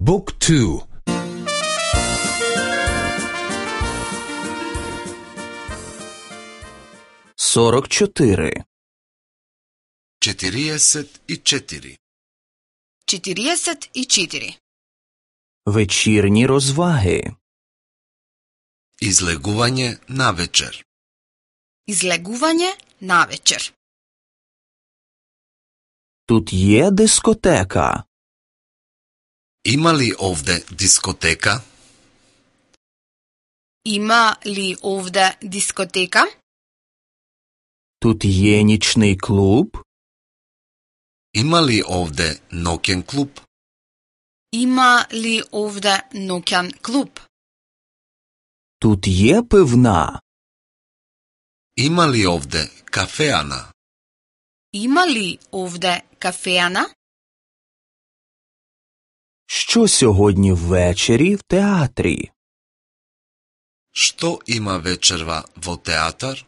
Book 2. 44. 44. 44. Вечірні розваги. Излегување навечер. Излегување навечер. Тут є дискотека. Има ли овде дискотека? Има ли овде дискотека? Тут є нічний клуб. Има ли овде ноќен клуб? Има ли овде ноќен клуб? Тут є пивна. Има ли овде кафеана? Има ли овде кафеана? Що сьогодні ввечері в театрі? Што има вечерва во театар?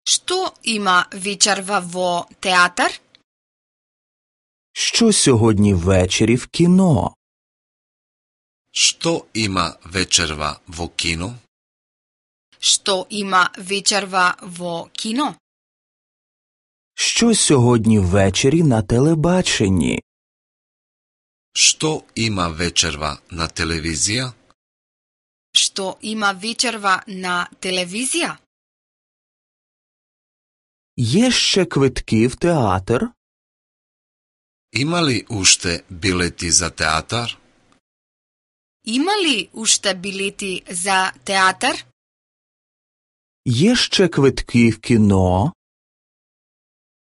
Што има вечерва во театар? Що сьогодні ввечері в кіно? Што има вечерва во кино? Што има вечерва во кино? Що сьогодні ввечері на телебаченні? Што има вечерва на телевизија? Што има вечерва на телевизија? Є ще квитки в театр? Има ли уште билети за театар? Има ли уште билети за театар? Є ще квитки в кіно?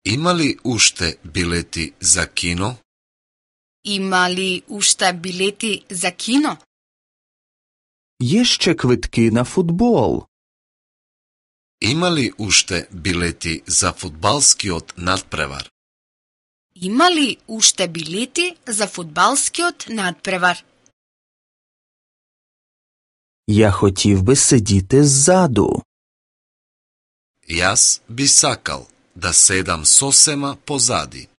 Има ли уште билети за кино? Има ли уште билети за кино? Є ще квитки на футбол? Има ли уште билети за фудбалскиот надпревар? Има ли уште билети за фудбалскиот надпревар? Я хотів би сидіти ззаду. Јас би сакал да седам сосема позади.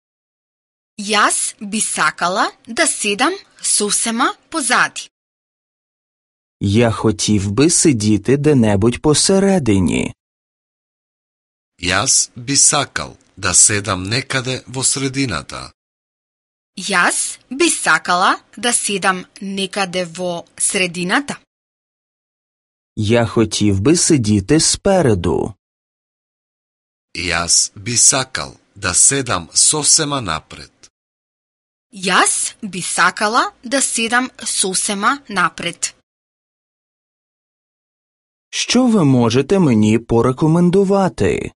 Јас би сакала да седам сосема позади. Я хотів би сидіти де-небудь посередині. Јас би сакал да седам некаде во средината. Јас би сакала да седам некаде во средината. Я хотів би сидіти спереду. Јас би сакал да седам сосема напред. Јас би сакала да седам сосема напред. Що ви можете мені порекомендувати?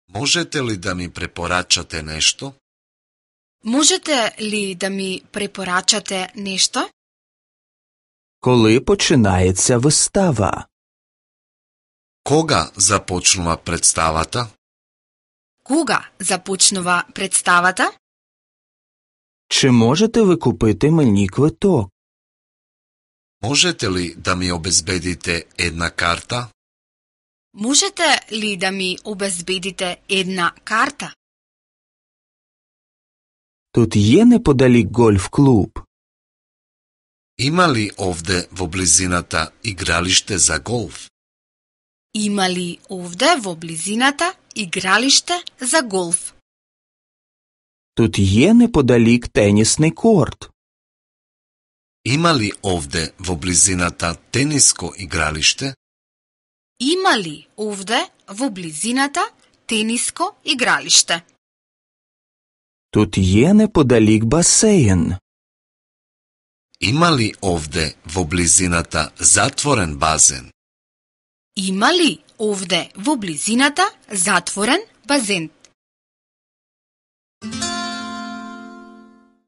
Можете ли да ми препорачате нешто? Можете ли да ми препорачате нешто? Коли починається вистава? Кога започнува представата? Кога започнува представата? Чи можете ви купити мені квиток? Можете ли да ми обезбедите една карта? Можете ли да ми обезбедите една карта? Тут є неподалік гольф-клуб? Има ли овде во близината игралиште за голф? Има ли овде во близината игралиште за голф? Тут є неподалік тенісний корт? Има ли овде во близината тениско игралиште? Има ли овде во близината тениско игралиште? Тут є неподалік басейн? Има ли овде во близината затворен базен? Има ли овде во близината затворен базен?